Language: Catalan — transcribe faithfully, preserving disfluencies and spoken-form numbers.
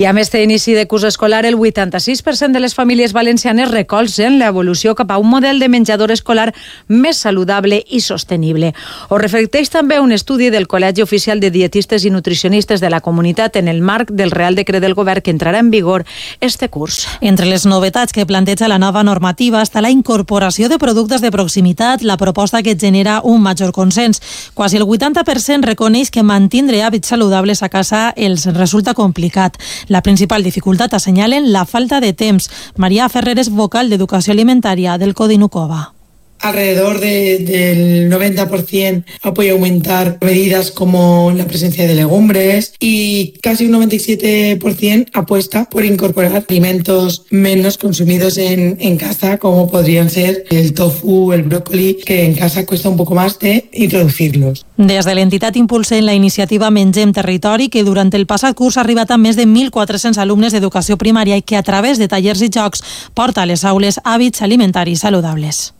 I a més d'inici de curs escolar, el vuitanta-sis per cent de les famílies valencianes recolzen l'evolució cap a un model de menjador escolar més saludable i sostenible. Ho reflecteix també un estudi del Col·legi Oficial de Dietistes i Nutricionistes de la Comunitat en el marc del Real Decret del Govern que entrarà en vigor este curs. Entre les novetats que planteja la nova normativa està la incorporació de productes de proximitat, la proposta que genera un major consens. Quasi el vuitanta per cent reconeix que mantindre hàbits saludables a casa els resulta complicat. La principal dificultat assenyalen la falta de temps. María Ferrer és vocal d'Educació Alimentària del Codinukova. Alrededor de, del noventa por ciento apoya aumentar medidas como la presencia de legumbres y casi un noventa y siete por ciento apuesta por incorporar alimentos menos consumidos en, en casa, como podrían ser el tofu, el brócoli, que en casa cuesta un poco más de introducirlos. Des de l'entitat impulsen la iniciativa Mengem Territori, que durant el passat curs ha arribat a més de mil quatre-cents alumnes d'educació primària i que a través de tallers i jocs porta a les aules hàbits alimentaris saludables.